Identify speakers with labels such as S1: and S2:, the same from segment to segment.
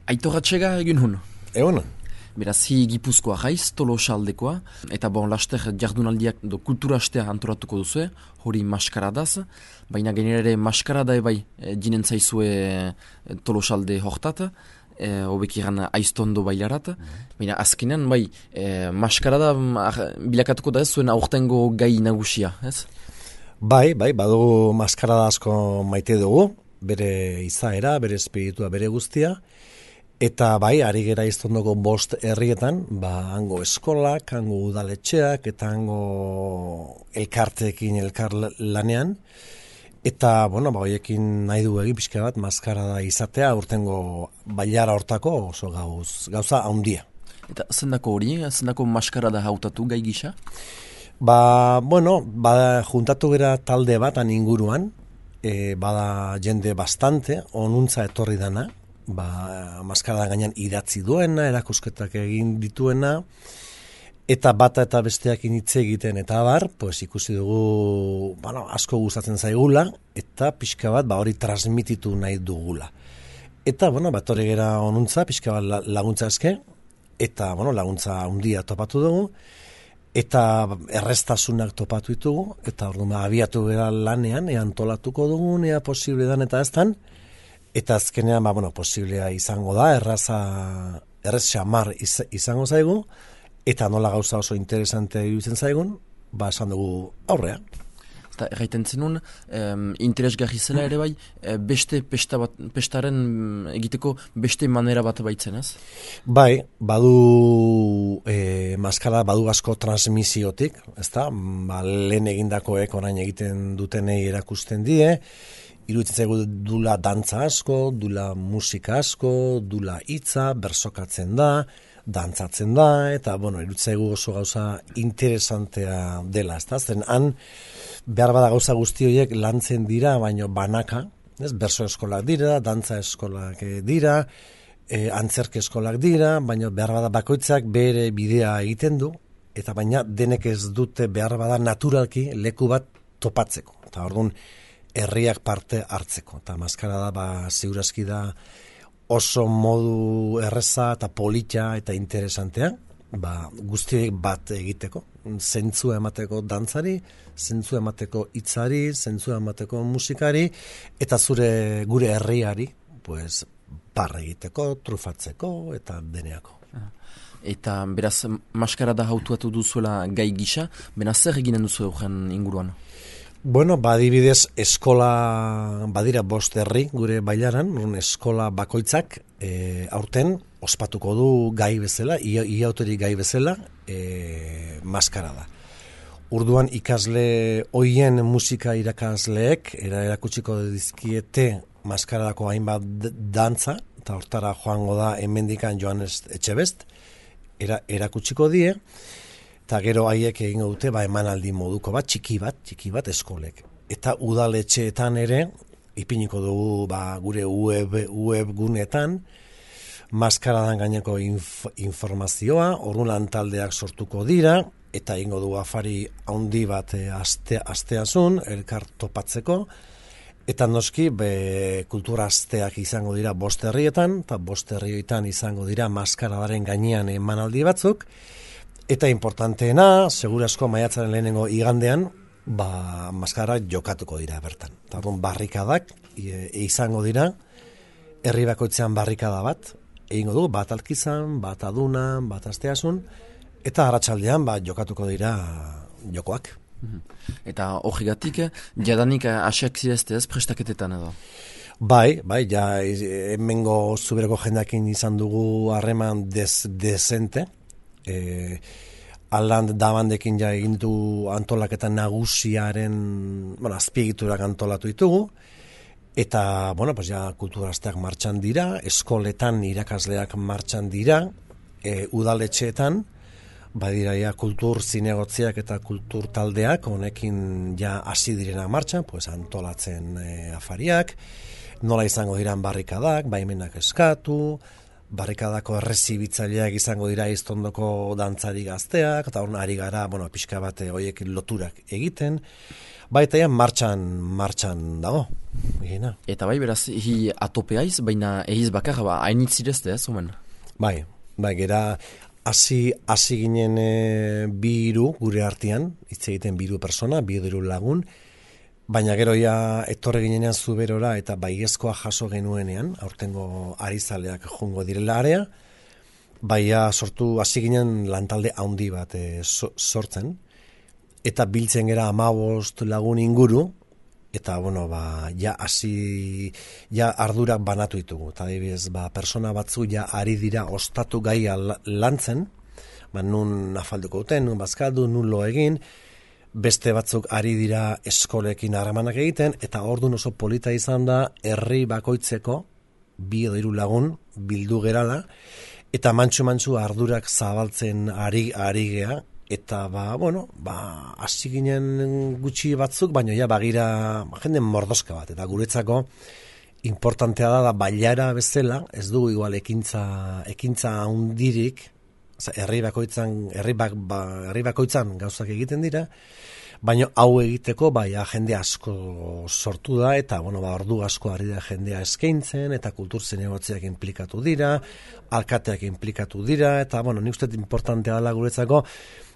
S1: Aitor Atxega egin hun.
S2: Egun?
S1: Beraz, hi Gipuzkoa jaiz, Tolosaldekoa, eta laster jardunaldiak kultura astea antolatuko duzue, hori maskaradaz, baina genera ere maskarada ebai jinen zaizue Tolosalde hortat, hobek iran aiztondo bailarat, baina azkenean bai, maskarada bilakatuko da ez zuen aurtengo gai nagusia, ez?
S2: Bai, badugu maskarada asko maite dugu, bere izaera, bere espiritua, bere guztia, eta bai, ari gera iztondoko 5 herrietan, hango eskolak, hango udaletxeak, eta hango elkarteekin elkar lanean, eta, hoiekin nahi du egin pixka bat, maskarada izatea, urtengo bailara hortako oso gauza handia.
S1: Eta zendako hori, zendako maskarada hautatu gai gisa?
S2: Juntatu gera talde bat inguruan, bada jende bastante, onuntza etorri dana, maskarada gainean idatzi duena, erakusketak egin dituena, eta bata eta besteak hitz egiten eta ikusi dugu, asko gustatzen zaigula, eta pixka bat hori transmititu nahi dugula. Eta, etorri gera onuntza, pixka bat laguntza eske, eta, laguntza handia topatu dugu, eta errestasunak topatu ditugu, eta abiatu gara lanean, antolatuko dugu, ea posible dan eta eztan, eta azkenean, posiblea izango da, errez xamar izango zaigu, eta nola gauza oso interesante iruditzen zaigun, esan dugu aurrea.
S1: Eta erraiten zenun, interesgarri zela ere bai, beste pestaren egiteko beste manera bat baitzen, ez?
S2: Bai, badu maskara, badu asko transmisiotik, ezta? Lehen egindakoek orain egiten dutenei erakusten die, iruditzen zaigu dula dantza asko, dula musika asko, dula hitza, bersokatzen da, dantzatzen da, eta, iruditzen zaigu oso gauza interesantea dela, ezta? Zen han, behar bada gauza guzti horiek lantzen dira, baino banaka, berso eskolak dira, dantza eskolak dira, antzerke eskolak dira, baino behar bada bakoitzak bere bidea egiten du, eta baina denek ez dute behar bada naturalki leku bat topatzeko. Eta orduan herriak parte hartzeko. Eta maskarada ziurazki da oso modu erreza eta polita eta interesantea, guztiek bat egiteko, zentzua emateko dantzari, zentzua emateko hitzari, zentzua emateko musikari, eta gure herriari, parra egiteko, trufatzeko, eta deneako.
S1: Eta beraz, maskarada hautuatu duzuela gai gisa, beraz zer eginen duzu euren inguruan?
S2: Adibidez, eskola, badira 5 herri gure bailaran, eskola bakoitzak aurten ospatuko du gai bezala, iauterik gai bezala, maskarada. Urduan ikasle hoien musika irakasleek erakutsiko dizkiete maskaradako hainbat dantza, eta hortara joango da hemendikan Joanes Etxebest, erakutsiko die, eta gero haiek egingo dute emanaldi moduko txiki bat eskolek. Eta udaletxeetan ere, ipiniko dugu gure web gunetan, maskaradan gaineko informazioa, orduan taldeak sortuko dira, eta egingo dugu afari handi bat asteazun, elkar topatzeko, eta noski kultura asteak izango dira 5 herrietan, eta 5 herrietan izango dira maskaradaren gainean emanaldi batzuk, eta importanteena, segurasko maiatzaren lehenengo igandean, maskara jokatuko dira bertan. Eta barrikadak izango dira, herri bakoitzean barrikada bat, egingo du, bat Alkizan, bat Adunan, bat Asteasun, eta arratsaldean jokatuko dira jokoak.
S1: Eta horregatik, jadanik asiak zirezte ez prestaketetan edo?
S2: Bai, hemengo zubereko jendakin izan dugu harreman dezente, aldan dabandekin egin du antolaketan nagusiaren, azpiegiturak antolatu ditugu, eta, kulturasteak martxan dira, eskoletan irakasleak martxan dira, udaletxeetan, badira kultur zinegotziak eta kultur taldeak, honekin hasi direna martxan, antolatzen afariak, nola izango diran barrikadak, baimenak eskatu, barrikadako errezibitzaileak izango dira iztondoko dantzari gazteak, eta hori ari gara, pixka bat horiek loturak egiten, baita ja martxan dago. Egina.
S1: Eta bai, beraz, atopeaiz, baina egiz bakar, hainitzirezte, ez, omen?
S2: Bai, gera, hasi ginen biru gure artean, hitz egiten biru persona, biru lagun, baina gero ja etorre ginenean Zuberora eta baiezkoa jaso genuenean, aurtengo arizaleak jungo direla area, baina sortu hasi ginen lantalde handi bat sortzen, eta biltzen gera 15 lagun inguru, eta ja ardurak banatu ditugu. Eta adibidez, persona batzu ja ari dira ostatu gaia lantzen, nun afalduko duten, nun bazkaldu, nun lo egin, beste batzuk ari dira eskolekin harremanak egiten, eta orduan oso polita izan da, herri bakoitzeko 2 edo 3 lagun bildu gerala, eta mantxu ardurak zabaltzen ari gea, eta hasi ginen gutxi batzuk, baina ja bagira jende mordoska bat, eta guretzako importantea da bailara bezala, ez dugu igual ekintza handirik, herri bakoitzan gauzak egiten dira, baina hau egiteko jende asko sortu da, eta ordu asko ari da jendea eskaintzen, eta kultur zinegotziak implikatu dira, alkateak implikatu dira, eta nik uste importantea dela guretzako,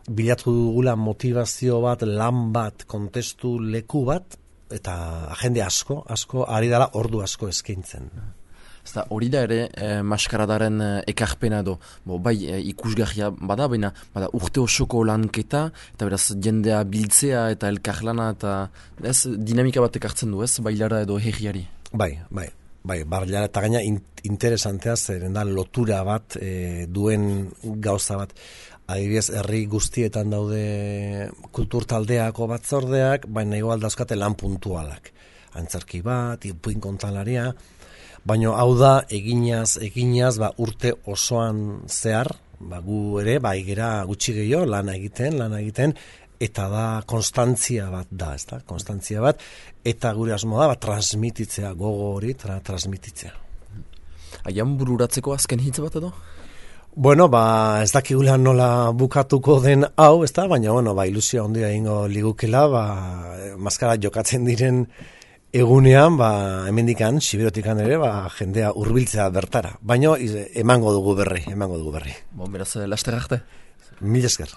S2: bilatu dugula motivazio bat, lan bat, kontestu leku bat, eta jende asko ari dela ordu asko eskaintzen.
S1: Eta hori da ere, maskaradaren ekarpena edo, bai ikusgarria bada, baina urte osoko lanketa, eta beraz jendea biltzea eta elkarlana, eta ez dinamika bat ekartzen du, ez, bailara edo herriari.
S2: Bai, bailara eta gaina interesantea zeren da lotura bat duen gauza bat. Adibidez, herri guztietan daude kultur taldeako batzordeak, baina igual dauzkate lan puntualak. Antzerki bat, ipuin kontalaria, baina hau da, eginaz, urte osoan zehar, gu ere, igera gutxi gehiago, lan egiten, eta da konstantzia bat da, ezta? Konstantzia bat, eta gure asmo da, transmititzea, gogo hori, transmititzea.
S1: Aian bururatzeko azken hitz bat edo?
S2: Ez dakigula nola bukatuko den hau, ezta? Baina, ilusioa ondia ingo ligukela, maskara jokatzen diren egunean, hemendikan, Siberotikan ere, jendea hurbiltzea bertara. Baina, emango dugu berri.
S1: Beraz, laster arte.
S2: Mil esker.